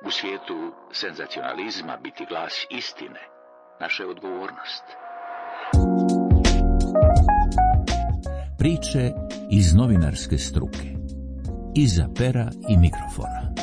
U svijetu senzacionalizma biti glas istine naša je odgovornost. Priče iz novinarske struke. Iza pera i mikrofona.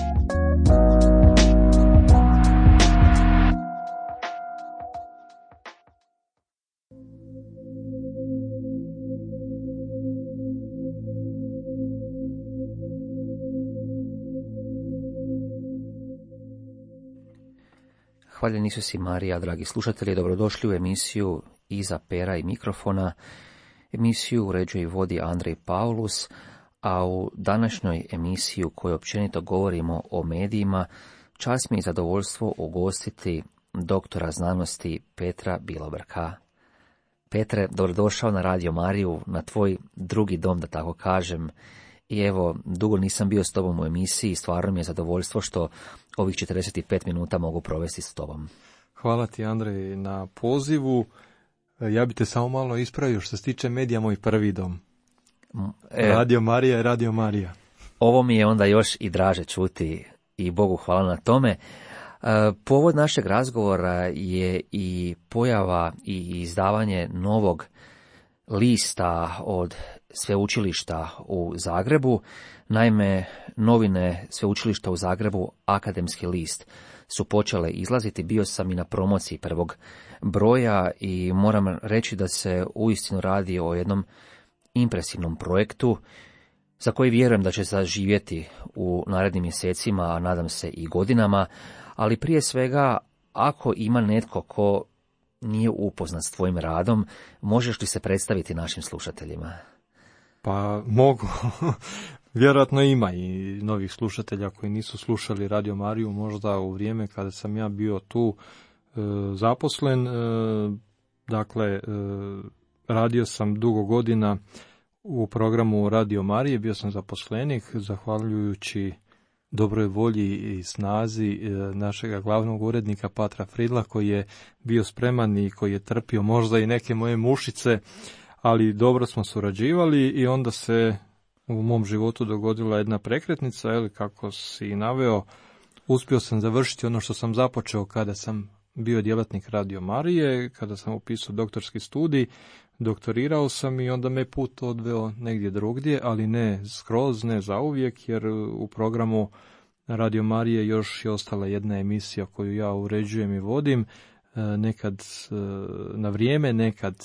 Hvaljeni Isus i Marija, dragi slušatelji, dobrodošli u emisiju Iza pera i mikrofona. Emisiju uređuje i vodi Andrej Paulus, a u današnjoj emisiji u kojoj općenito govorimo o medijima, čast mi je zadovoljstvo ugostiti doktora znanosti Petra Bilobrka. Petre, dobrodošao na Radio Mariju, na tvoj drugi dom, da tako kažem. I evo, dugo nisam bio s tobom u emisiji, stvarno mi je zadovoljstvo što ovih 45 minuta mogu provesti s tobom. Hvala ti, Andrej, na pozivu. Ja bi te samo malo ispravio što se tiče medija, moj prvi dom. Radio Marija je Radio Marija. Ovo mi je onda još i draže čuti i Bogu hvala na tome. Povod našeg razgovora je i pojava i izdavanje novog lista od sveučilišta u Zagrebu. Naime, novine sveučilišta u Zagrebu, Akademski list, su počele izlaziti. Bio sam i na promociji prvog broja i moram reći da se uistinu radi o jednom impresivnom projektu za koji vjerujem da će zaživjeti u narednim mjesecima, a nadam se i godinama, ali prije svega, ako ima netko ko nije upoznat s tvojim radom, možeš li se predstaviti našim slušateljima? Pa mogu. Vjerojatno ima i novih slušatelja koji nisu slušali Radio Mariju možda u vrijeme kada sam ja bio tu zaposlen. Dakle, radio sam dugo godina u programu Radio Marije, bio sam zaposlenik, zahvaljujući dobroj volji i snazi našega glavnog urednika Patra Fridla, koji je bio spreman i koji je trpio možda i neke moje mušice, ali dobro smo surađivali i onda se u mom životu dogodila jedna prekretnica, kako si naveo, uspio sam završiti ono što sam započeo kada sam bio djelatnik Radio Marije, kada sam upisao doktorski studij, doktorirao sam i onda me put odveo negdje drugdje, ali ne skroz, ne zauvijek, jer u programu Radio Marije još je ostala jedna emisija koju ja uređujem i vodim, nekad na vrijeme, nekad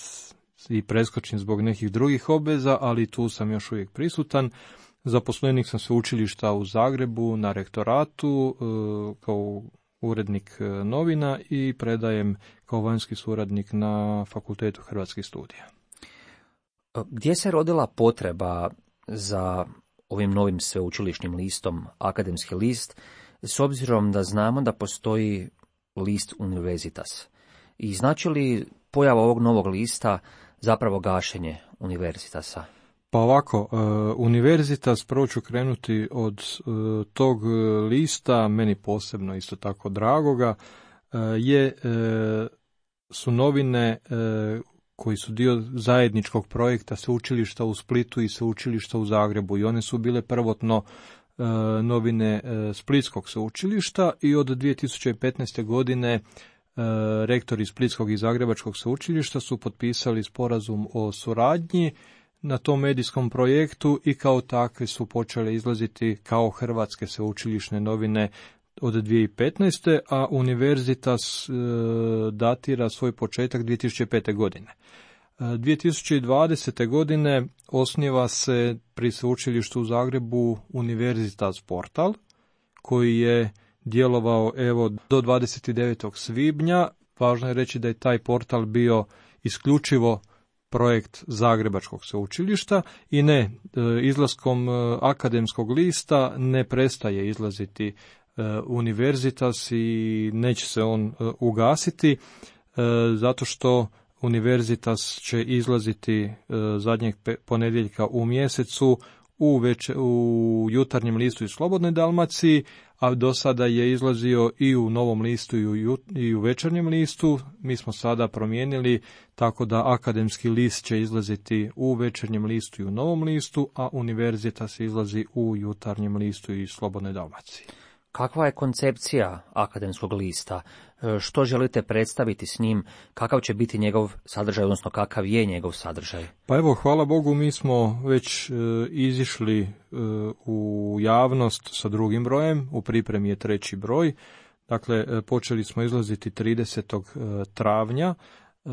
i preskočim zbog nekih drugih obveza, ali tu sam još uvijek prisutan. Zaposlenik sam sveučilišta u Zagrebu na rektoratu kao urednik novina i predajem kao vanjski suradnik na Fakultetu hrvatskih studija. Gdje se rodila potreba za ovim novim sveučilišnim listom, Akademski list, s obzirom da znamo da postoji list Universitas? I znači li pojava ovog novog lista zapravo gašenje Universitasa? Pa ovako, Universitas, prvo ću krenuti od tog lista, meni posebno isto tako dragoga, su novine koji su dio zajedničkog projekta sveučilišta u Splitu i sveučilišta u Zagrebu, i one su bile prvotno novine Splitskog sveučilišta i od 2015. godine rektori Splitskog i Zagrebačkog sveučilišta su potpisali sporazum o suradnji na tom medijskom projektu i kao takve su počele izlaziti kao hrvatske sveučilišne novine od 2015. a Universitas datira svoj početak 2005. godine. 2020. godine osniva se pri sveučilištu u Zagrebu Universitas portal, koji je djelovao do 29. svibnja. Važno je reći da je taj portal bio isključivo projekt Zagrebačkog sveučilišta i izlaskom Akademskog lista ne prestaje izlaziti Universitas i neće se on ugasiti, zato što Universitas će izlaziti zadnjeg ponedjeljka u mjesecu u Jutarnjem listu i Slobodnoj Dalmaciji, a do sada je izlazio i u Novom listu i u Večernjem listu. Mi smo sada promijenili tako da Akademski list će izlaziti u Večernjem listu i u Novom listu, a Universitas izlazi u Jutarnjem listu i Slobodnoj Dalmaciji. kakva je koncepcija akademskog lista, što želite predstaviti s njim, kakav će biti njegov sadržaj, odnosno kakav je njegov sadržaj? Pa evo, hvala Bogu, mi smo već izišli u javnost sa drugim brojem, u pripremi je 3. broj. Dakle, počeli smo izlaziti 30. travnja,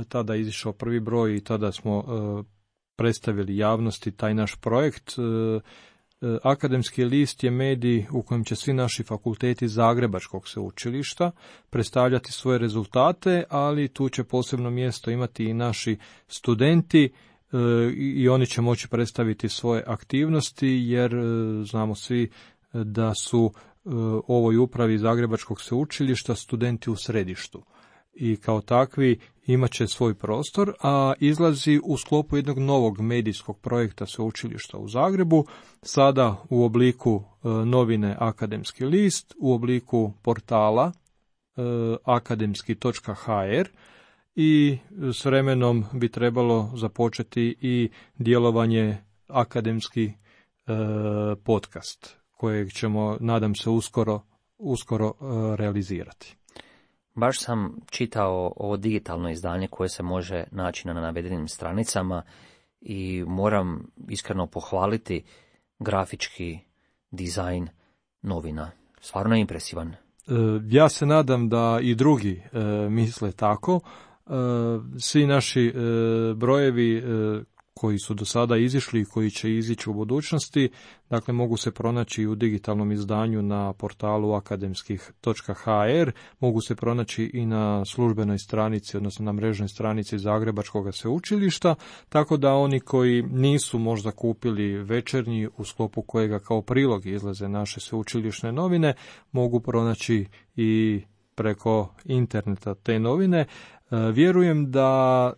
tada je izišao 1. broj i tada smo predstavili javnosti taj naš projekt. Akademski list je medij u kojem će svi naši fakulteti Zagrebačkog sveučilišta predstavljati svoje rezultate, ali tu će posebno mjesto imati i naši studenti i oni će moći predstaviti svoje aktivnosti, jer znamo svi da su ovoj upravi Zagrebačkog sveučilišta studenti u središtu. I kao takvi imat će svoj prostor, a izlazi u sklopu jednog novog medijskog projekta sveučilišta u Zagrebu, sada u obliku novine Akademski list, u obliku portala akademski.hr i s vremenom bi trebalo započeti i djelovanje akademski podcast, kojeg ćemo, nadam se, uskoro realizirati. Baš sam čitao ovo digitalno izdanje koje se može naći na navedenim stranicama i moram iskreno pohvaliti grafički dizajn novina. Stvarno je impresivan. Ja se nadam da i drugi misle tako. Svi naši brojevi koji su do sada izišli i koji će izići u budućnosti, dakle mogu se pronaći u digitalnom izdanju na portalu akademskih.hr, mogu se pronaći i na službenoj stranici, odnosno na mrežnoj stranici Zagrebačkog sveučilišta, tako da oni koji nisu možda kupili večernji, u sklopu kojega kao prilog izlaze naše sveučilišne novine, mogu pronaći i preko interneta te novine. Vjerujem da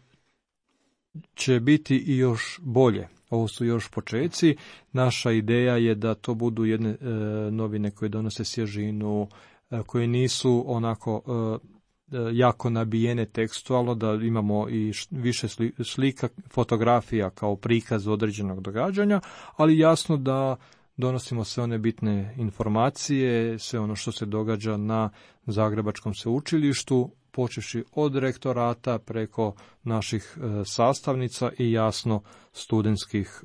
će biti i još bolje. Ovo su još počeci. Naša ideja je da to budu jedne novine koje donose svježinu, koje nisu onako jako nabijene tekstualno, da imamo i više slika, fotografija kao prikaz određenog događanja, ali jasno da donosimo sve one bitne informacije, sve ono što se događa na Zagrebačkom sveučilištu, počevši od rektorata preko naših sastavnica i jasno studentskih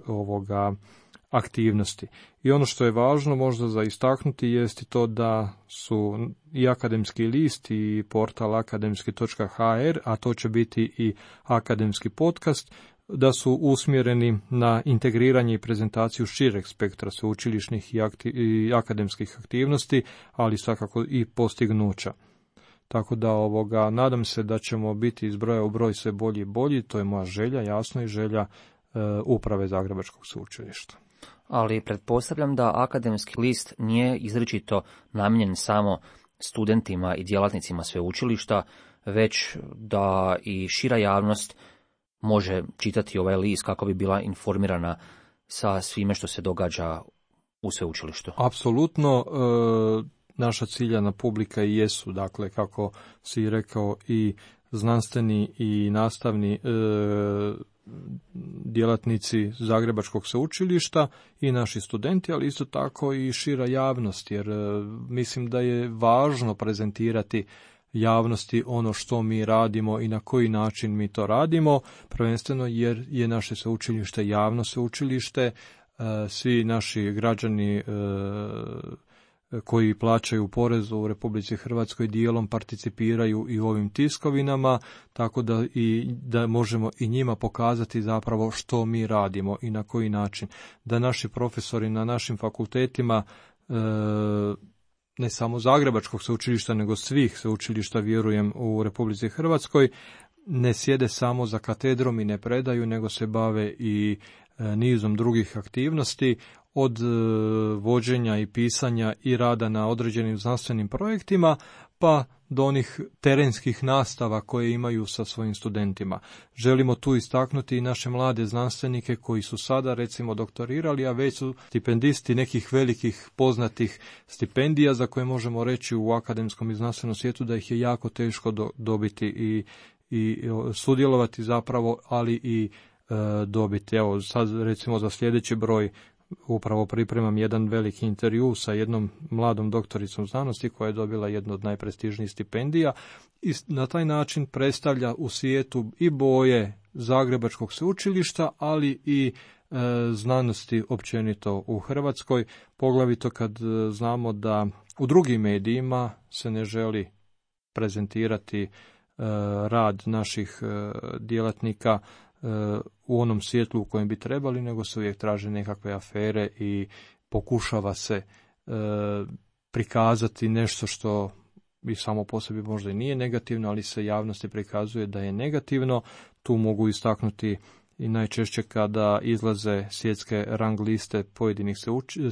aktivnosti. I ono što je važno možda za istaknuti jest i to da su i Akademski list i portal akademski.hr, a to će biti i akademski podcast, da su usmjereni na integriranje i prezentaciju šireg spektra sveučilišnih i akademskih aktivnosti, ali svakako i postignuća. Tako da nadam se da ćemo biti iz broja u broj sve bolji i bolji, to je moja želja, jasno, i želja uprave Zagrebačkog sveučilišta. Ali pretpostavljam da Akademski list nije izričito namijenjen samo studentima i djelatnicima sveučilišta, već da i šira javnost može čitati ovaj list kako bi bila informirana sa svime što se događa u sveučilištu. Apsolutno. Naša ciljana publika i jesu, dakle, kako si rekao, i znanstveni i nastavni djelatnici Zagrebačkog sveučilišta i naši studenti, ali isto tako i šira javnost, jer mislim da je važno prezentirati javnosti ono što mi radimo i na koji način mi to radimo, prvenstveno jer je naše sveučilište javno sveučilište, svi naši građani koji plaćaju porez u Republici Hrvatskoj dijelom participiraju i u ovim tiskovinama, tako da možemo i njima pokazati zapravo što mi radimo i na koji način. Da naši profesori na našim fakultetima, ne samo Zagrebačkog sveučilišta, nego svih sveučilišta, vjerujem, u Republici Hrvatskoj, ne sjede samo za katedrom i ne predaju, nego se bave i nizom drugih aktivnosti, od vođenja i pisanja i rada na određenim znanstvenim projektima, pa do onih terenskih nastava koje imaju sa svojim studentima. Želimo tu istaknuti i naše mlade znanstvenike koji su sada, recimo, doktorirali, a već su stipendisti nekih velikih poznatih stipendija za koje možemo reći u akademskom i znanstvenom svijetu da ih je jako teško dobiti i sudjelovati zapravo, ali i dobiti. Evo, sad recimo za sljedeći broj upravo pripremam jedan veliki intervju sa jednom mladom doktoricom znanosti koja je dobila jednu od najprestižnijih stipendija i na taj način predstavlja u svijetu i boje Zagrebačkog sveučilišta, ali i znanosti općenito u Hrvatskoj, poglavito kad znamo da u drugim medijima se ne želi prezentirati rad naših djelatnika u onom svjetlu u kojem bi trebali, nego se uvijek traže nekakve afere i pokušava se prikazati nešto što i samo po sebi možda i nije negativno, ali se javnosti prikazuje da je negativno. Tu mogu istaknuti i najčešće kada izlaze svjetske rang liste pojedinih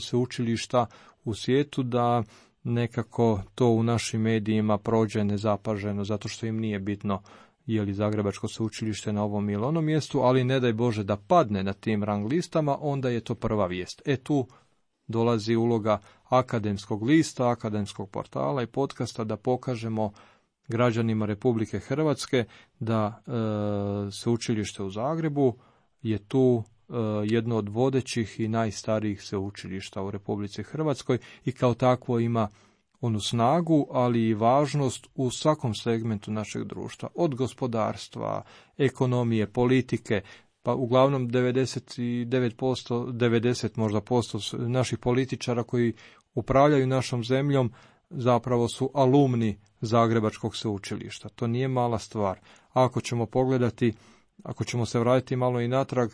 sveučilišta u svijetu, da nekako to u našim medijima prođe nezapaženo, zato što im nije bitno je li Zagrebačko sveučilište na ovom ili onom mjestu, ali ne daj Bože da padne na tim rang listama, onda je to prva vijest. Tu dolazi uloga akademskog lista, akademskog portala i podcasta da pokažemo građanima Republike Hrvatske da sveučilište u Zagrebu je tu jedno od vodećih i najstarijih sveučilišta u Republici Hrvatskoj i kao takvo ima onu snagu, ali i važnost u svakom segmentu našeg društva, od gospodarstva, ekonomije, politike, pa uglavnom 90% možda posto naših političara koji upravljaju našom zemljom zapravo su alumni Zagrebačkog sveučilišta. To nije mala stvar. Ako ćemo pogledati, ako ćemo se vratiti malo i natrag,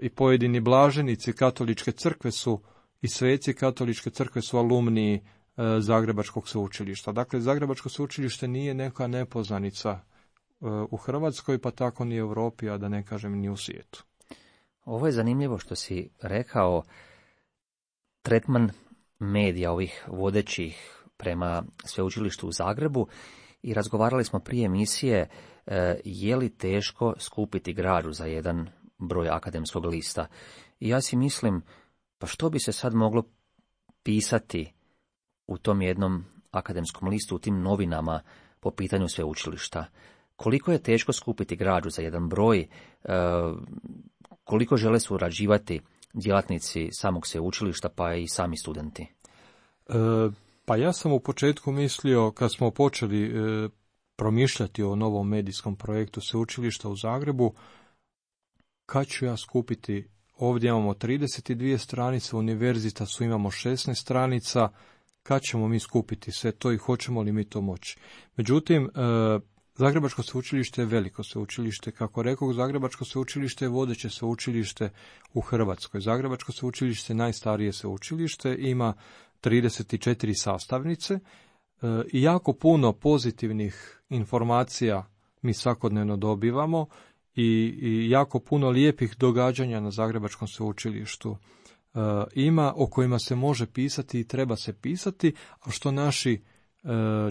i pojedini blaženici katoličke crkve su i sveci katoličke crkve su alumni Zagrebačkog sveučilišta. Dakle, Zagrebačko sveučilište nije neka nepoznanica u Hrvatskoj, pa tako ni u Europi, a da ne kažem ni u svijetu. Ovo je zanimljivo što si rekao, tretman medija ovih vodećih prema sveučilištu u Zagrebu, i razgovarali smo prije emisije je li teško skupiti građu za jedan broj akademskog lista. I ja si mislim, pa što bi se sad moglo pisati u tom jednom akademskom listu, u tim novinama po pitanju sveučilišta? Koliko je teško skupiti građu za jedan broj, koliko žele surađivati djelatnici samog sveučilišta, pa i sami studenti? Pa ja sam u početku mislio, kad smo počeli promišljati o novom medijskom projektu sveučilišta u Zagrebu, kad ću ja skupiti, ovdje imamo 32 stranice, univerzitasu imamo 16 stranica, kad ćemo mi skupiti sve to i hoćemo li mi to moći? Međutim, Zagrebačko sveučilište je veliko sveučilište. Kako rekao, Zagrebačko sveučilište je vodeće sveučilište u Hrvatskoj. Zagrebačko sveučilište je najstarije sveučilište, ima 34 sastavnice i jako puno pozitivnih informacija mi svakodnevno dobivamo i jako puno lijepih događanja na Zagrebačkom sveučilištu ima, o kojima se može pisati i treba se pisati, a što naši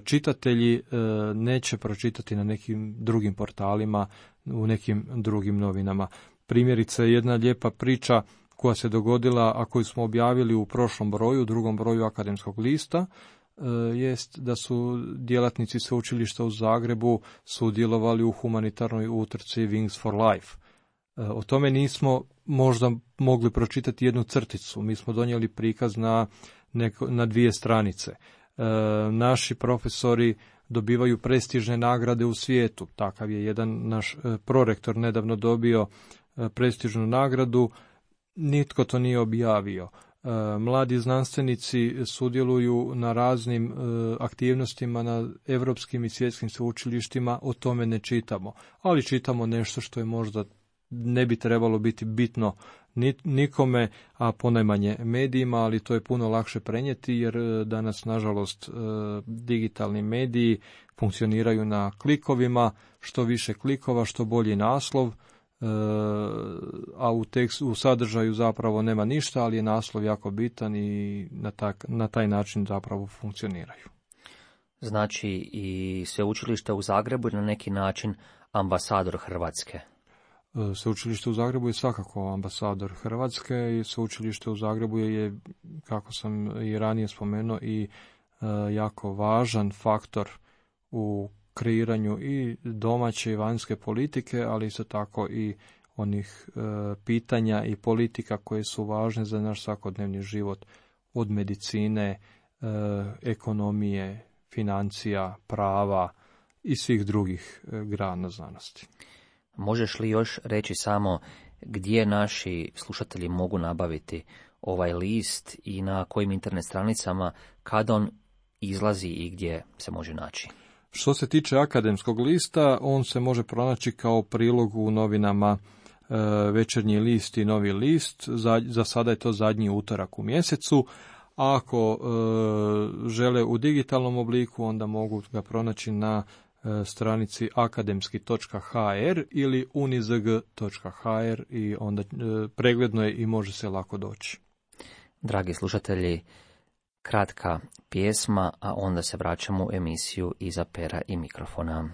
čitatelji neće pročitati na nekim drugim portalima, u nekim drugim novinama. Primjerice, jedna lijepa priča koja se dogodila, a koju smo objavili u prošlom broju, drugom broju akademskog lista, jest da su djelatnici sveučilišta u Zagrebu sudjelovali u humanitarnoj utrci Wings for Life. O tome nismo možda mogli pročitati jednu crticu. Mi smo donijeli prikaz na 2 stranice. Naši profesori dobivaju prestižne nagrade u svijetu. Takav je jedan naš prorektor nedavno dobio prestižnu nagradu. Nitko to nije objavio. Mladi znanstvenici sudjeluju na raznim aktivnostima na europskim i svjetskim sveučilištima, o tome ne čitamo. Ali čitamo nešto što je možda ne bi trebalo biti bitno nikome, a ponajmanje medijima, ali to je puno lakše prenijeti jer danas, nažalost, digitalni mediji funkcioniraju na klikovima, što više klikova, što bolji naslov, a u sadržaju zapravo nema ništa, ali je naslov jako bitan i na taj način zapravo funkcioniraju. Znači i sveučilište u Zagrebu je na neki način ambasador Hrvatske. Sveučilište u Zagrebu je svakako ambasador Hrvatske i sveučilište u Zagrebu je, kako sam i ranije spomenuo, i jako važan faktor u kreiranju i domaće i vanjske politike, ali isto tako i onih pitanja i politika koje su važne za naš svakodnevni život, od medicine, ekonomije, financija, prava i svih drugih grana znanosti. Možeš li još reći samo gdje naši slušatelji mogu nabaviti ovaj list i na kojim internet stranicama, kada on izlazi i gdje se može naći? Što se tiče akademskog lista, on se može pronaći kao prilog u novinama Večernji list i Novi list. Za sada je to zadnji utorak u mjesecu. A ako žele u digitalnom obliku, onda mogu ga pronaći na stranici akademski.hr ili unizg.hr i onda pregledno je i može se lako doći. Dragi slušatelji, kratka pjesma, a onda se vraćamo u emisiju Iza pera i mikrofona.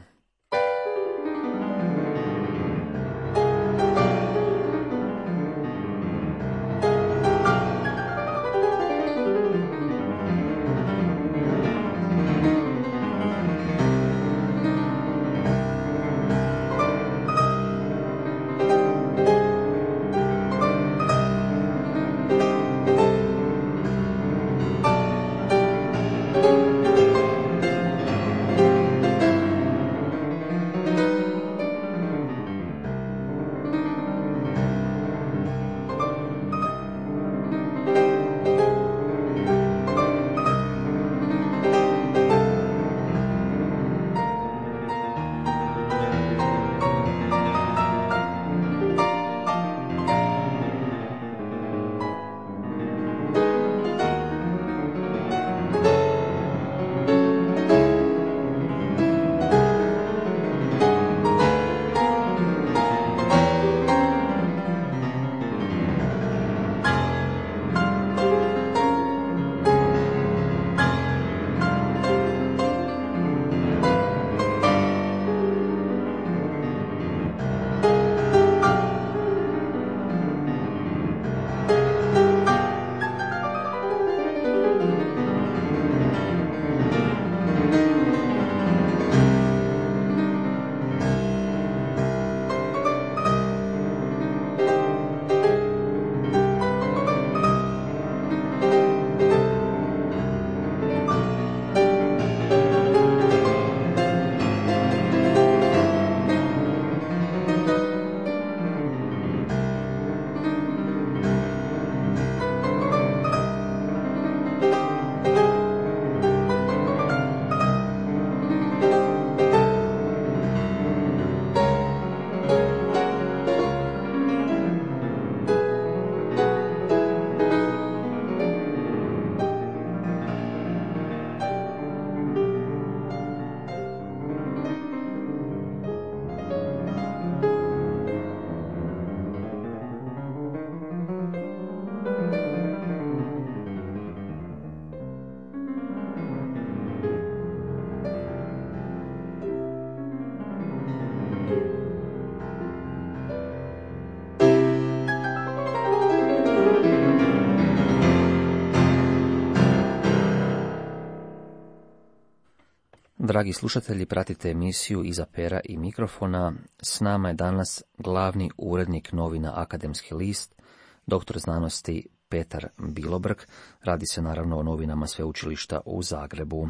Dragi slušatelji, pratite emisiju Iza pera i mikrofona. S nama je danas glavni urednik novina Akademski list, doktor znanosti Petar Bilobrg. Radi se naravno o novinama Sveučilišta u Zagrebu.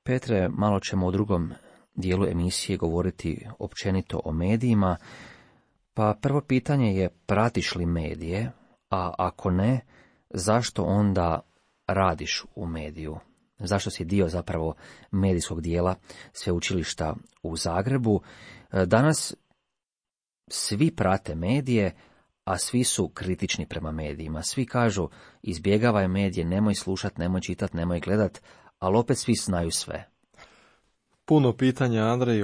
Petre, malo ćemo u drugom dijelu emisije govoriti općenito o medijima. Pa prvo pitanje je, pratiš li medije, a ako ne, zašto onda radiš u mediju? Zašto si dio zapravo medijskog dijela Sveučilišta u Zagrebu? Danas svi prate medije, a svi su kritični prema medijima. Svi kažu, izbjegavaj medije, nemoj slušat, nemoj čitat, nemoj gledat, ali opet svi znaju sve. Puno pitanja, Andrej,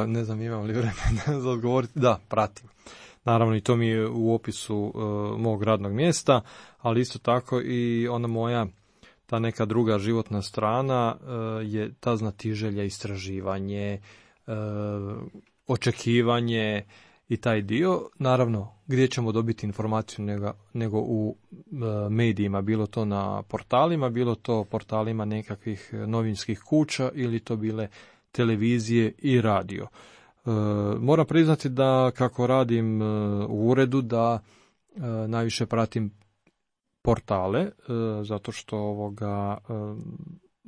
ne znam imam li vremena za odgovoriti. Da, pratim. Naravno i to mi je u opisu mog radnog mjesta, ali isto tako i ona moja, ta neka druga životna strana je ta znatiželja, istraživanje, očekivanje i taj dio. Naravno, gdje ćemo dobiti informaciju nego u medijima, bilo to na portalima, bilo to portalima nekakvih novinskih kuća ili to bile televizije i radio. Moram priznati da kako radim u uredu da najviše pratim portale, zato što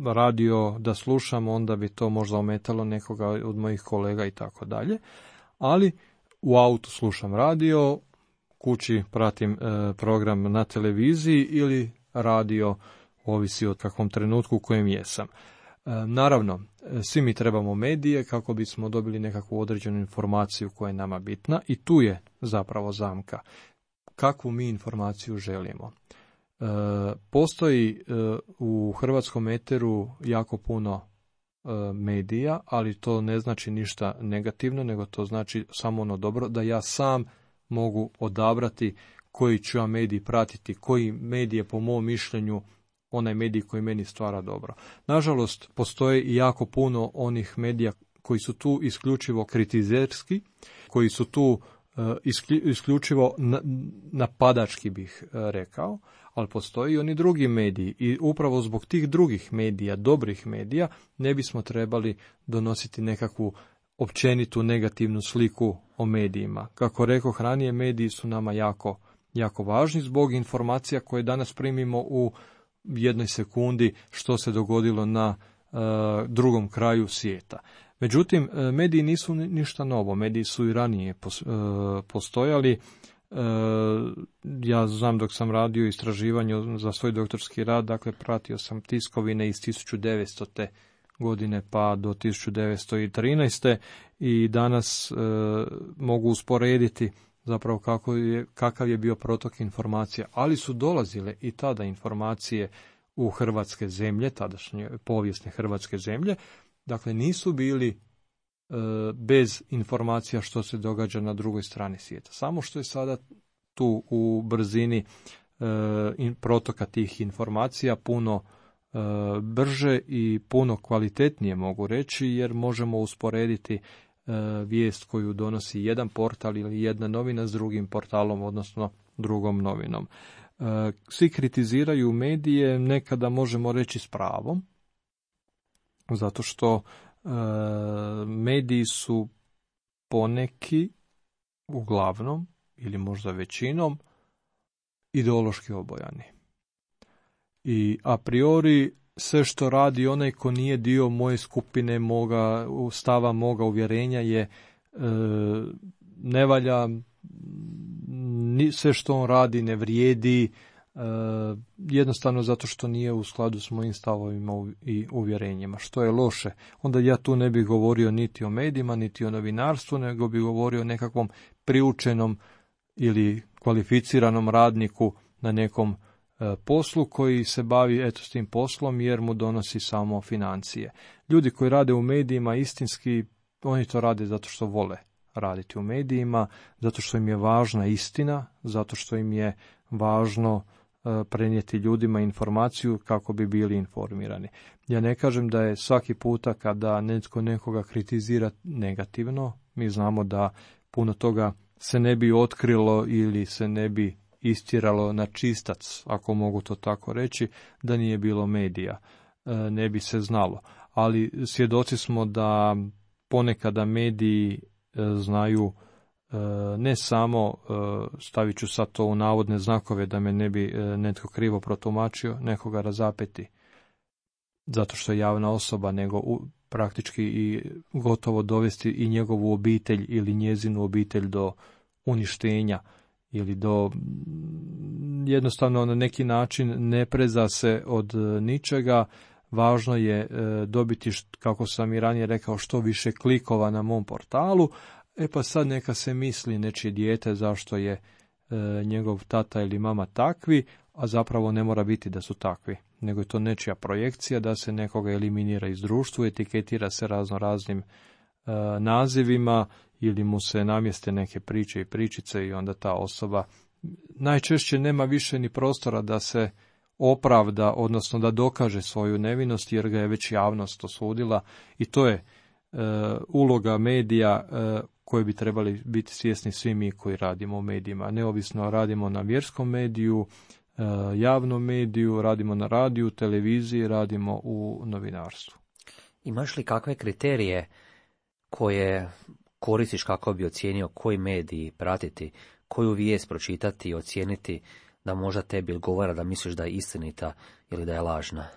radio da slušam, onda bi to možda ometalo nekoga od mojih kolega i tako dalje. Ali u autu slušam radio, kući pratim program na televiziji ili radio, ovisi od kakvom trenutku u kojem jesam. Naravno, svi mi trebamo medije kako bismo dobili nekakvu određenu informaciju koja je nama bitna i tu je zapravo zamka. Kakvu mi informaciju želimo? Postoji u hrvatskom eteru jako puno medija, ali to ne znači ništa negativno, nego to znači samo ono dobro, da ja sam mogu odabrati koji ću ja medij pratiti, koji medij je po mom mišljenju onaj medij koji meni stvara dobro. Nažalost, postoji i jako puno onih medija koji su tu isključivo kritizerski, koji su tu isključivo napadački bih rekao, ali postoji i oni drugi mediji i upravo zbog tih drugih medija, dobrih medija, ne bismo trebali donositi nekakvu općenitu negativnu sliku o medijima. Kako rekoh ranije, mediji su nama jako, jako važni zbog informacija koje danas primimo u jednoj sekundi što se dogodilo na drugom kraju svijeta. Međutim, mediji nisu ništa novo, mediji su i ranije postojali. Ja znam dok sam radio istraživanje za svoj doktorski rad, dakle pratio sam tiskovine iz 1900. godine pa do 1913. i danas mogu usporediti zapravo kakav je bio protok informacija, ali su dolazile i tada informacije u hrvatske zemlje, tadašnje povijesne hrvatske zemlje, dakle nisu bili bez informacija što se događa na drugoj strani svijeta. Samo što je sada tu u brzini protoka tih informacija puno brže i puno kvalitetnije mogu reći, jer možemo usporediti vijest koju donosi jedan portal ili jedna novina s drugim portalom, odnosno drugom novinom. Svi kritiziraju medije, nekada možemo reći s pravom, zato što mediji su poneki, uglavnom, ili možda većinom, ideološki obojani. I a priori sve što radi onaj ko nije dio moje skupine, moga stava, moga uvjerenja je ne valja, sve što on radi ne vrijedi, jednostavno zato što nije u skladu s mojim stavovima i uvjerenjima, što je loše. Onda ja tu ne bih govorio niti o medijima, niti o novinarstvu, nego bih govorio o nekakvom priučenom ili kvalificiranom radniku na nekom poslu koji se bavi s tim poslom jer mu donosi samo financije. Ljudi koji rade u medijima istinski, oni to rade zato što vole raditi u medijima, zato što im je važna istina, zato što im je važno prenijeti ljudima informaciju kako bi bili informirani. Ja ne kažem da je svaki puta kada netko nekoga kritizira negativno, mi znamo da puno toga se ne bi otkrilo ili se ne bi istjeralo na čistac, ako mogu to tako reći, da nije bilo medija, ne bi se znalo. Ali svjedoci smo da ponekada mediji znaju ne samo, stavit ću sad to u navodne znakove da me ne bi netko krivo protumačio, nekoga razapeti zato što je javna osoba, nego praktički i gotovo dovesti i njegovu obitelj ili njezinu obitelj do uništenja ili do jednostavno na neki način ne preza se od ničega. Važno je dobiti, kako sam i ranije rekao, što više klikova na mom portalu. Pa sad neka se misli nečije dijete zašto je njegov tata ili mama takvi, a zapravo ne mora biti da su takvi, nego je to nečija projekcija da se nekoga eliminira iz društva, etiketira se raznim nazivima ili mu se namjeste neke priče i pričice i onda ta osoba najčešće nema više ni prostora da se opravda, odnosno da dokaže svoju nevinost jer ga je već javnost osudila i to je uloga medija koje bi trebali biti svjesni svi mi koji radimo u medijima. Neovisno radimo na vjerskom mediju, javnom mediju, radimo na radiju, televiziji, radimo u novinarstvu. Imaš li kakve kriterije koje koristiš kako bi ocijenio koji mediji pratiti, koju vijest pročitati i ocijeniti da možda tebi odgovara da misliš da je istinita ili da je lažna?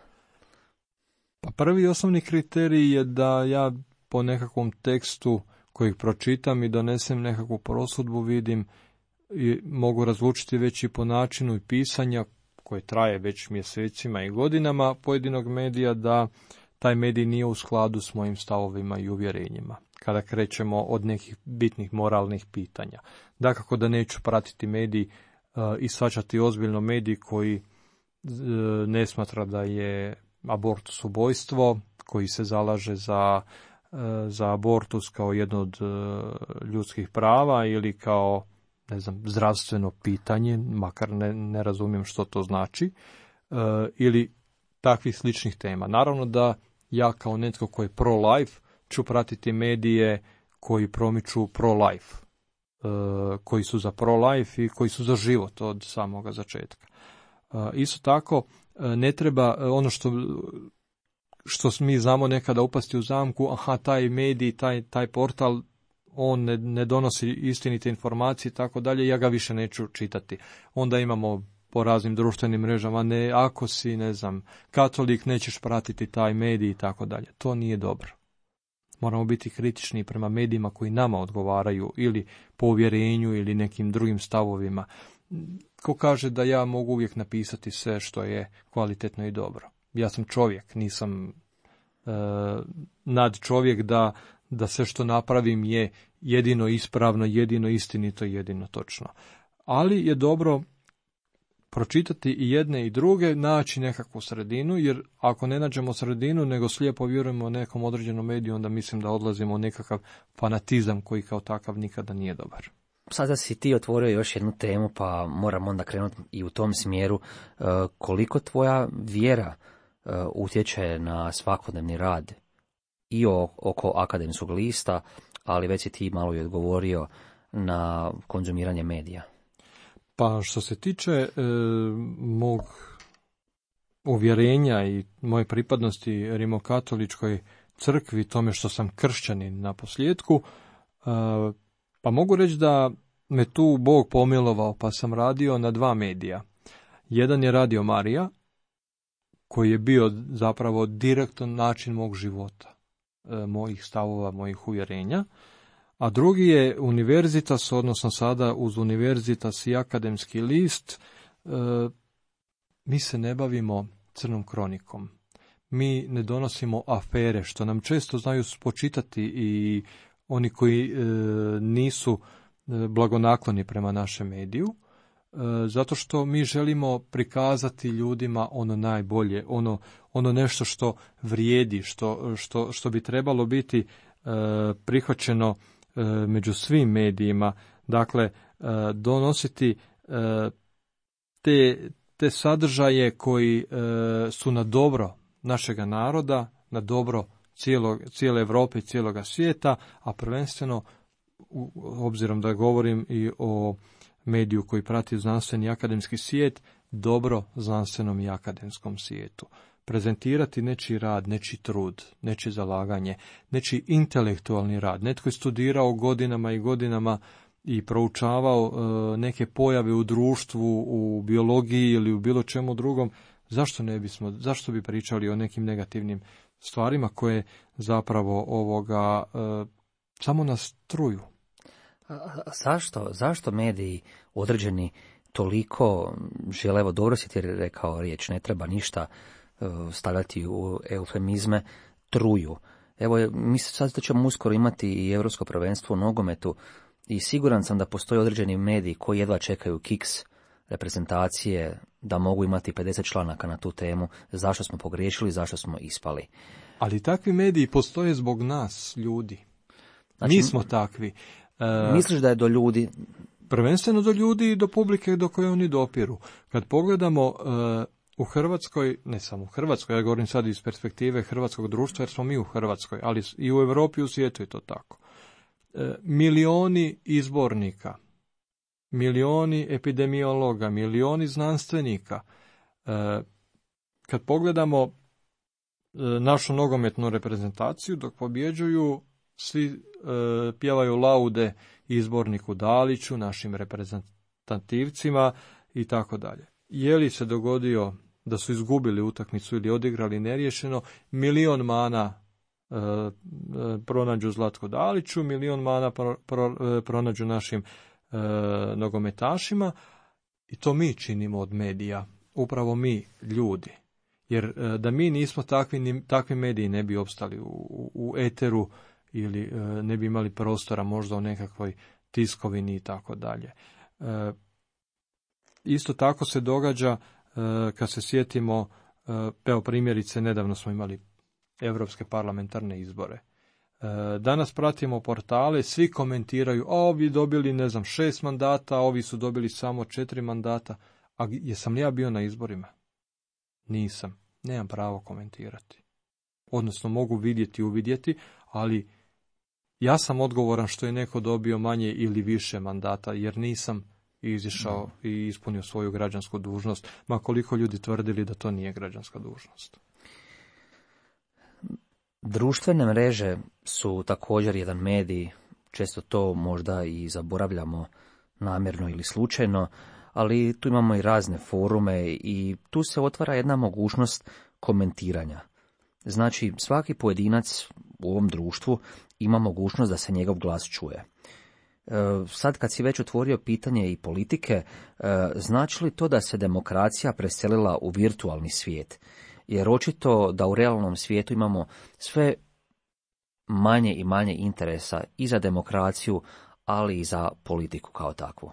Pa prvi osnovni kriterij je da ja po nekakvom tekstu kojeg pročitam i donesem nekakvu prosudbu vidim i mogu razlučiti već i po načinu i pisanja koje traje već mjesecima i godinama pojedinog medija da taj medij nije u skladu s mojim stavovima i uvjerenjima. Kada krećemo od nekih bitnih moralnih pitanja. Dakako da neću pratiti medij i shvaćati ozbiljno medij koji ne smatra da je abortus ubojstvo, koji se zalaže za abortus kao jedno od ljudskih prava ili kao zdravstveno pitanje, makar ne razumijem što to znači, ili takvih sličnih tema. Naravno da ja kao netko koji je pro-life ću pratiti medije koji promiču pro-life, koji su za pro-life i koji su za život od samoga začetka. Isto tako, ne treba ono što mi znamo nekada upasti u zamku, taj medij, taj portal, on ne donosi istinite informacije i tako dalje, ja ga više neću čitati. Onda imamo po raznim društvenim mrežama, ako si, katolik, nećeš pratiti taj medij i tako dalje. To nije dobro. Moramo biti kritični prema medijima koji nama odgovaraju ili po uvjerenju ili nekim drugim stavovima. Ko kaže da ja mogu uvijek napisati sve što je kvalitetno i dobro. Ja sam čovjek, nisam nad čovjek da sve što napravim je jedino ispravno, jedino istinito, jedino točno. Ali je dobro pročitati i jedne i druge, naći nekakvu sredinu, jer ako ne nađemo sredinu, nego slijepo vjerujemo nekom određenom mediju, onda mislim da odlazimo u nekakav fanatizam koji kao takav nikada nije dobar. Sada si ti otvorio još jednu temu, pa moram onda krenuti i u tom smjeru. Koliko tvoja vjera utječe na svakodnevni rad i oko akademskog lista, ali već si ti malo i odgovorio na konzumiranje medija? Pa što se tiče mog uvjerenja i moje pripadnosti rimokatoličkoj crkvi, tome što sam kršćanin na posljedku, pa mogu reći da me tu Bog pomilovao, pa sam radio na 2 medija. Jedan je Radio Marija, koji je bio zapravo direktan način mog života, mojih stavova, mojih uvjerenja, a drugi je Univerzitas, odnosno sada uz Univerzitas i Akademski list. Mi se ne bavimo crnom kronikom. Mi ne donosimo afere, što nam često znaju spočitati i oni koji nisu blagonakloni prema našem mediju, zato što mi želimo prikazati ljudima ono najbolje, ono nešto što vrijedi, što bi trebalo biti prihvaćeno među svim medijima. Dakle, donositi te sadržaje koji su na dobro našega naroda, na dobro cijele Europe i cijeloga svijeta, a prvenstveno, obzirom da govorim i o mediju koji prati znanstveni i akademski svijet, dobro znanstvenom i akademskom svijetu. Prezentirati nečiji rad, nečiji trud, nečije zalaganje, nečiji intelektualni rad. Netko je studirao godinama i godinama i proučavao neke pojave u društvu, u biologiji ili u bilo čemu drugom. Zašto bi pričali o nekim negativnim stvarima koje zapravo samo nas truju? Zašto mediji određeni toliko žele, evo dobro si ti rekao riječ, ne treba ništa stavljati u eufemizme, truju. Evo, mi sad ćemo uskoro imati i Europsko prvenstvo u nogometu i siguran sam da postoje određeni mediji koji jedva čekaju kiks reprezentacije da mogu imati 50 članaka na tu temu, zašto smo pogriješili, zašto smo ispali. Ali takvi mediji postoje zbog nas, ljudi. Znači, mi smo takvi. Misliš da je do ljudi? Prvenstveno do ljudi i do publike do koje oni dopiru. Kad pogledamo u Hrvatskoj, ne samo u Hrvatskoj, ja govorim sad iz perspektive hrvatskog društva, jer smo mi u Hrvatskoj, ali i u Europi i u svijetu je to tako. Milioni izbornika, milioni epidemiologa, milioni znanstvenika. Kad pogledamo našu nogometnu reprezentaciju, dok pobjeđuju, svi pjevaju laude izborniku Daliću, našim reprezentativcima i tako dalje. Je li se dogodio da su izgubili utakmicu ili odigrali neriješeno, 1.000.000 mana pronađu Zlatku Daliću, 1.000.000 mana pronađu našim nogometašima, i to mi činimo od medija, upravo mi, ljudi. Jer da mi nismo takvi mediji ne bi opstali u eteru ili ne bi imali prostora možda u nekakvoj tiskovini i tako dalje. Isto tako se događa kad se sjetimo, evo primjerice, nedavno smo imali europske parlamentarne izbore. Danas pratimo portale, svi komentiraju, ovi dobili 6 mandata, ovi su dobili samo 4 mandata. A jesam li ja bio na izborima? Nisam. Nemam pravo komentirati. Odnosno mogu vidjeti, uvidjeti, ali ja sam odgovoran što je neko dobio manje ili više mandata, jer nisam izišao i ispunio svoju građansku dužnost, ma koliko ljudi tvrdili da to nije građanska dužnost. Društvene mreže su također jedan medij, često to možda i zaboravljamo namjerno ili slučajno, ali tu imamo i razne forume i tu se otvara jedna mogućnost komentiranja. Znači, svaki pojedinac u ovom društvu ima mogućnost da se njegov glas čuje. Sad kad si već otvorio pitanje i politike, znači li to da se demokracija preselila u virtualni svijet? Jer očito da u realnom svijetu imamo sve manje i manje interesa i za demokraciju, ali i za politiku kao takvu.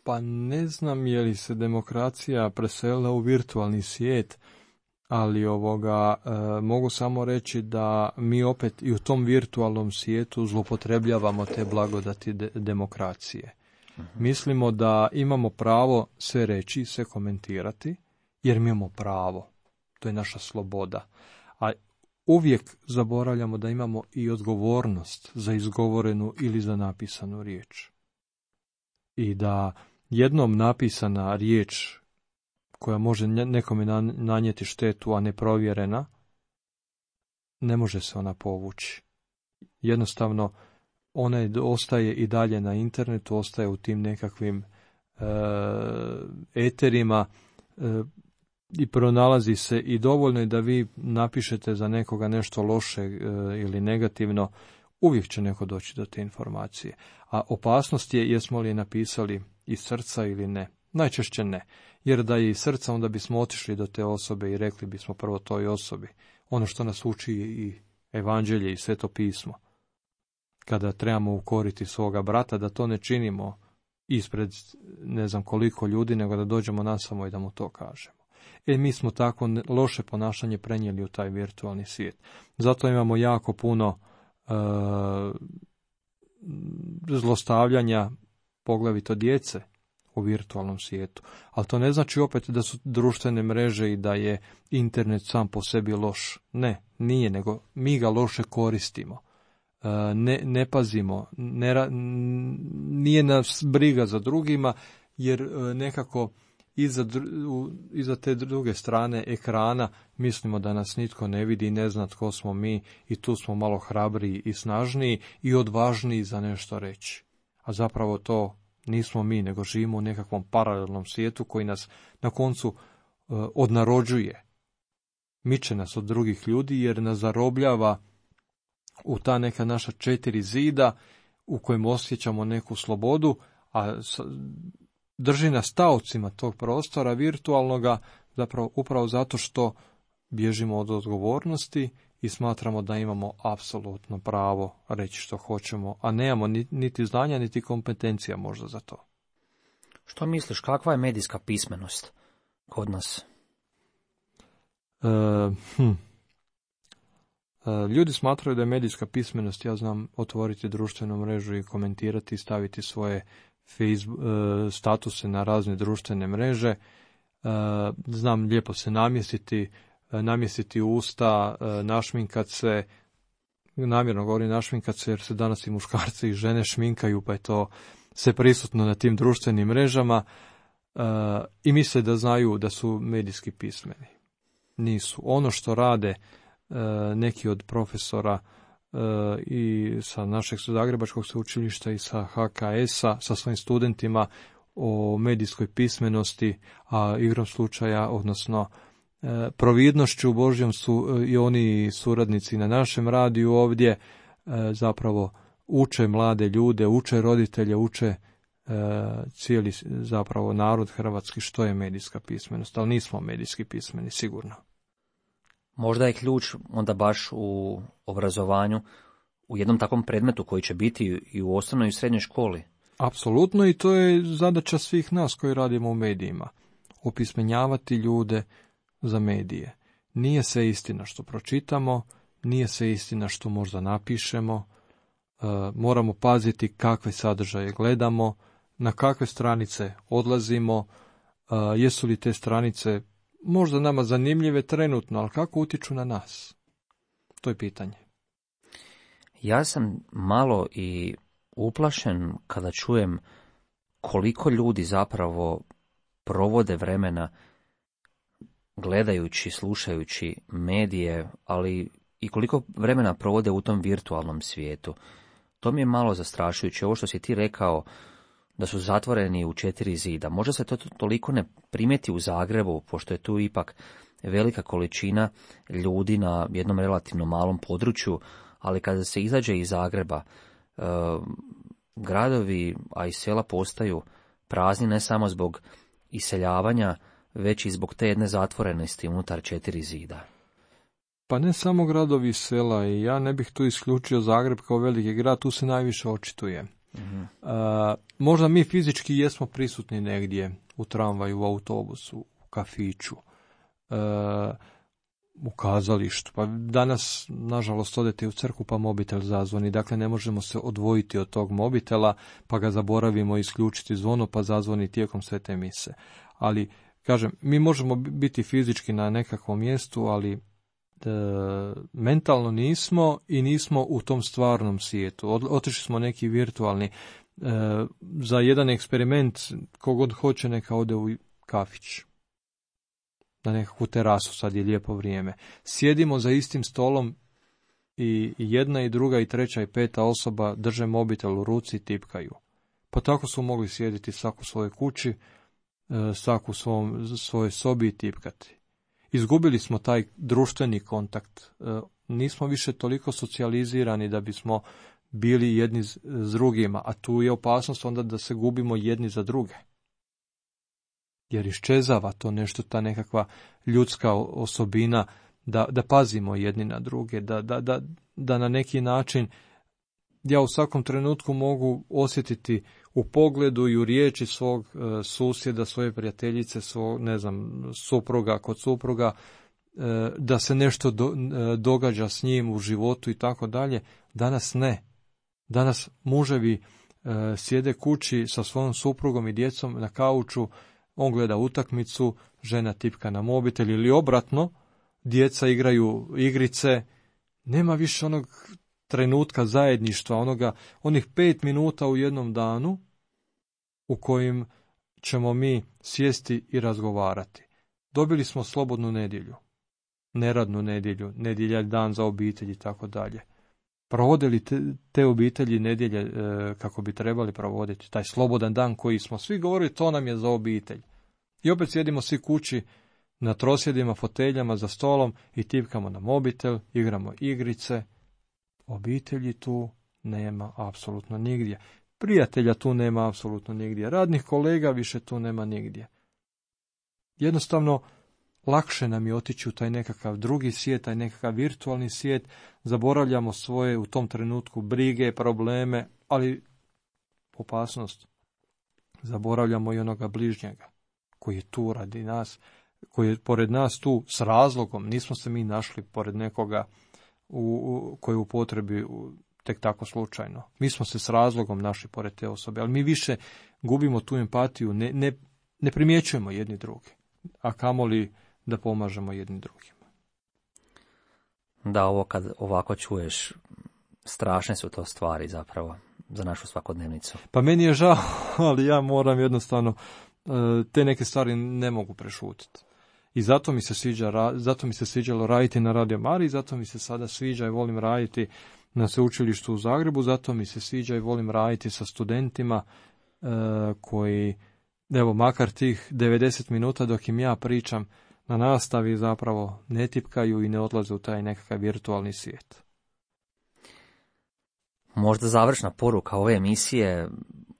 Pa ne znam je li se demokracija preselila u virtualni svijet, ali mogu samo reći da mi opet i u tom virtualnom svijetu zloupotrebljavamo te blagodati demokracije. Mislimo da imamo pravo sve reći, sve komentirati, jer mi imamo pravo. To je naša sloboda. A uvijek zaboravljamo da imamo i odgovornost za izgovorenu ili za napisanu riječ. I da jednom napisana riječ koja može nekome nanijeti štetu, a neprovjerena, ne može se ona povući. Jednostavno, ona ostaje i dalje na internetu, ostaje u tim nekakvim eterima i pronalazi se, i dovoljno je da vi napišete za nekoga nešto loše ili negativno, uvijek će neko doći do te informacije. A opasnost je jesmo li napisali iz srca ili ne. Najčešće ne. Jer da je iz srca, onda bismo otišli do te osobe i rekli bismo prvo toj osobi ono što nas uči i evanđelje i sveto pismo. Kada trebamo ukoriti svoga brata, da to ne činimo ispred ne znam koliko ljudi, nego da dođemo nasamo i da mu to kažemo. Mi smo tako loše ponašanje prenijeli u taj virtualni svijet. Zato imamo jako puno zlostavljanja, poglavito djece, u virtualnom svijetu. Ali to ne znači opet da su društvene mreže i da je internet sam po sebi loš. Ne, nije, nego mi ga loše koristimo. Ne pazimo, nije nas briga za drugima, jer nekako iza te druge strane ekrana mislimo da nas nitko ne vidi i ne zna tko smo mi, i tu smo malo hrabriji i snažniji i odvažniji za nešto reći. A zapravo to nismo mi, nego živimo u nekakvom paralelnom svijetu koji nas na koncu odnarođuje. Miče nas od drugih ljudi jer nas zarobljava u ta neka naša 4 zida u kojem osjećamo neku slobodu, a drži nas taocima tog prostora virtualnoga, zapravo upravo zato što bježimo od odgovornosti i smatramo da imamo apsolutno pravo reći što hoćemo, a nemamo niti znanja, niti kompetencija možda za to. Što misliš, kakva je medijska pismenost kod nas? Ljudi smatraju da je medijska pismenost, ja znam otvoriti društvenu mrežu i komentirati, staviti svoje statuse na razne društvene mreže, znam lijepo se namjestiti usta, našminkat se, namjerno govorim našminkat se jer se danas i muškarci i žene šminkaju, pa je to sve prisutno na tim društvenim mrežama, i misle da znaju da su medijski pismeni. Nisu. Ono što rade neki od profesora i sa našeg Zagrebačkog sveučilišta i sa HKS-a, sa svojim studentima o medijskoj pismenosti, a igrom slučaja, odnosno providnošću Božjom su i oni suradnici na našem radiju ovdje zapravo uče mlade ljude, uče roditelje, uče cijeli zapravo narod hrvatski što je medijska pismenost, ali nismo medijski pismeni, sigurno. Možda je ključ onda baš u obrazovanju, u jednom takvom predmetu koji će biti i u osnovnoj i srednjoj školi. Apsolutno, i to je zadaća svih nas koji radimo u medijima. Opismenjavati ljude za medije. Nije sve istina što pročitamo, nije sve istina što možda napišemo, moramo paziti kakve sadržaje gledamo, na kakve stranice odlazimo, jesu li te stranice možda nama zanimljive trenutno, ali kako utiču na nas? To je pitanje. Ja sam malo i uplašen kada čujem koliko ljudi zapravo provode vremena gledajući, slušajući medije, ali i koliko vremena provode u tom virtualnom svijetu. To mi je malo zastrašujuće. Ovo što si ti rekao, da su zatvoreni u 4 zida. Možda se to toliko ne primijeti u Zagrebu, pošto je tu ipak velika količina ljudi na jednom relativno malom području, ali kada se izađe iz Zagreba, gradovi, a i sela postaju prazni ne samo zbog iseljavanja, već i zbog te jedne zatvorenosti unutar 4 zida. Pa ne samo gradovi i sela, i ja ne bih tu isključio Zagreb kao veliki grad, tu se najviše očituje. Možda mi fizički jesmo prisutni negdje, u tramvaju, u autobusu, u kafiću, u kazalištu. Pa danas, nažalost, odete u crkvu pa mobitel zazvoni, dakle ne možemo se odvojiti od tog mobitela, pa ga zaboravimo isključiti zvono, pa zazvoni tijekom svete mise. Ali, kažem, mi možemo biti fizički na nekakvom mjestu, ali mentalno nismo i nismo u tom stvarnom svijetu. Otišli smo neki virtualni. Za jedan eksperiment, kogod hoće neka ode u kafić, na nekakvu terasu, sad je lijepo vrijeme. Sjedimo za istim stolom i jedna i druga i treća i peta osoba drže mobitel u ruci i tipkaju. Pa tako su mogli sjediti svako u svojoj kući, svako u svojoj sobi i tipkati. Izgubili smo taj društveni kontakt. Nismo više toliko socijalizirani da bismo bili jedni s drugima, a tu je opasnost onda da se gubimo jedni za druge. Jer iščezava to nešto, ta nekakva ljudska osobina, da pazimo jedni na druge, da na neki način ja u svakom trenutku mogu osjetiti u pogledu i u riječi svog susjeda, svoje prijateljice, svog, supruga kod supruga, da se nešto događa s njim u životu i tako dalje. Danas ne. Danas muževi sjede kući sa svojom suprugom i djecom na kauču, on gleda utakmicu, žena tipka na mobitel ili obratno, djeca igraju igrice, nema više onog trenutka zajedništva, onih 5 minuta u jednom danu u kojim ćemo mi sjesti i razgovarati. Dobili smo slobodnu nedjelju, neradnu nedjelju, nedjelja dan za obitelj i tako dalje. Provodili te obitelji nedjelje kako bi trebali provoditi, taj slobodan dan koji smo svi govorili, to nam je za obitelj. I opet sjedimo svi kući na trosjedima, foteljama, za stolom i tipkamo na mobitel, igramo igrice. Obitelji tu nema apsolutno nigdje. Prijatelja tu nema apsolutno nigdje. Radnih kolega više tu nema nigdje. Jednostavno, lakše nam je otići u taj nekakav drugi svijet, taj nekakav virtualni svijet. Zaboravljamo svoje u tom trenutku brige, probleme, ali opasnost. Zaboravljamo i onoga bližnjega koji je tu radi nas, koji je pored nas tu s razlogom. Nismo se mi našli pored nekoga koji je u potrebi tek tako slučajno. Mi smo se s razlogom našli pored te osobe, ali mi više gubimo tu empatiju, ne primjećujemo jedni druge, a kamoli da pomažemo jedni drugima. Da, ovo kad ovako čuješ, strašne su to stvari zapravo za našu svakodnevnicu. Pa meni je žao, ali ja moram jednostavno, te neke stvari ne mogu prešutiti. I zato mi se sviđalo raditi na Radio Mariji, zato mi se sada sviđa i volim raditi na sveučilištu u Zagrebu, zato mi se sviđa i volim raditi sa studentima koji, evo, makar tih 90 minuta dok im ja pričam na nastavi, zapravo ne tipkaju i ne odlaze u taj nekakav virtualni svijet. Možda završna poruka ove emisije,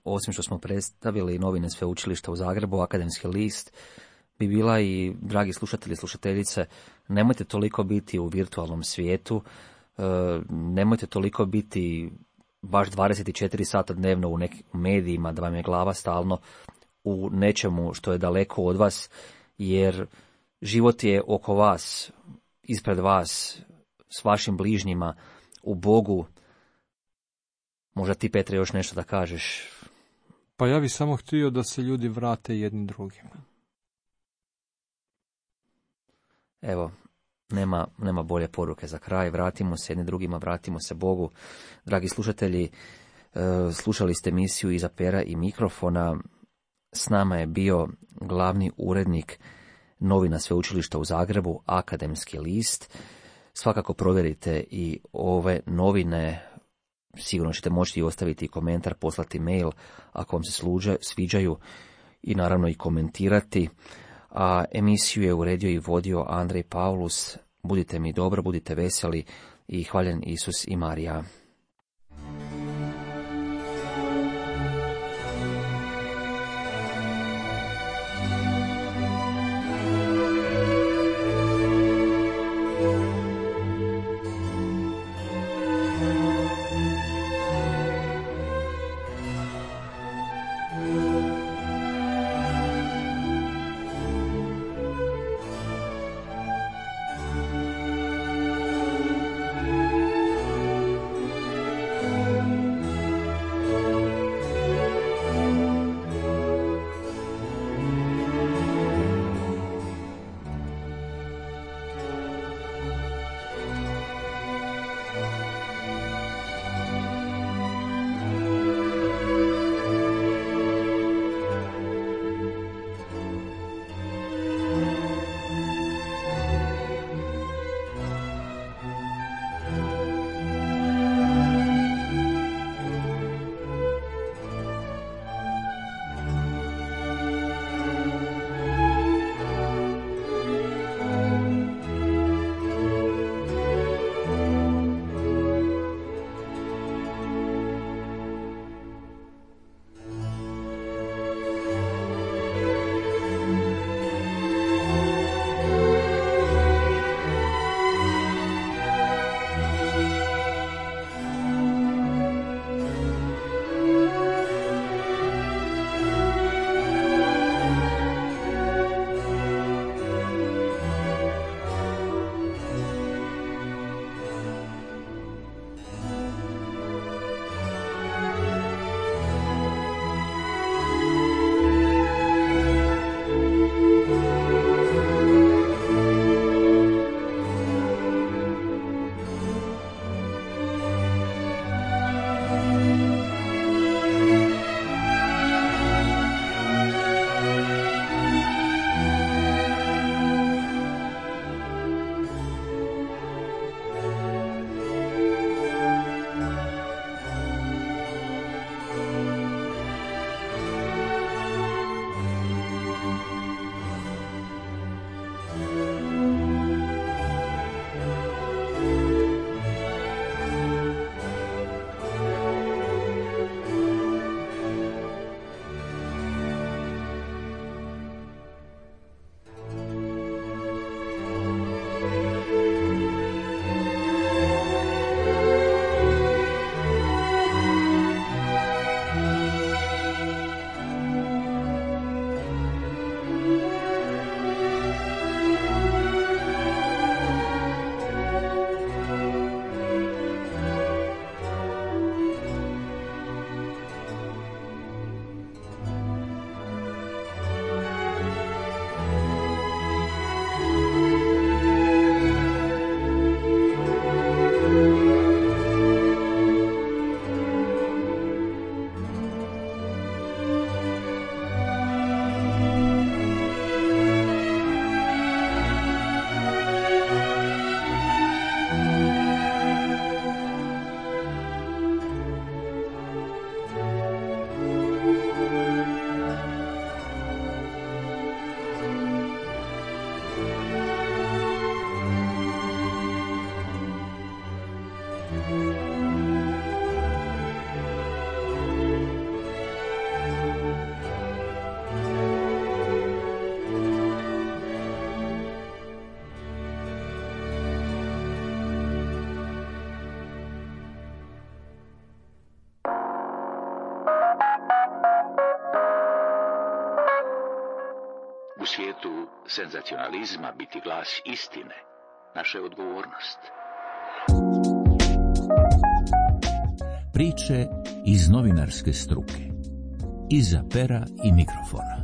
osim što smo predstavili novine sveučilišta u Zagrebu, Akademski list, bi bila i, dragi slušatelji i slušateljice, nemojte toliko biti u virtualnom svijetu, nemojte toliko biti baš 24 sata dnevno u nekim medijima, da vam je glava stalno u nečemu što je daleko od vas, jer život je oko vas, ispred vas, s vašim bližnjima, u Bogu. Možda ti, Petre, još nešto da kažeš? Pa ja bih samo htio da se ljudi vrate jedni drugima. Evo, nema bolje poruke za kraj. Vratimo se jedni drugima, vratimo se Bogu. Dragi slušatelji, slušali ste emisiju Iza pera i mikrofona. S nama je bio glavni urednik novina sveučilišta u Zagrebu, Akademski list. Svakako provjerite i ove novine. Sigurno ćete moći i ostaviti komentar, poslati mail ako vam se sviđaju i naravno i komentirati. A emisiju je uredio i vodio Andrej Paulus. Budite mi dobro, budite veseli i hvaljen Isus i Marija. U svijetu senzacionalizma biti glas istine, naša je odgovornost. Priče iz novinarske struke. Iza pera i mikrofona.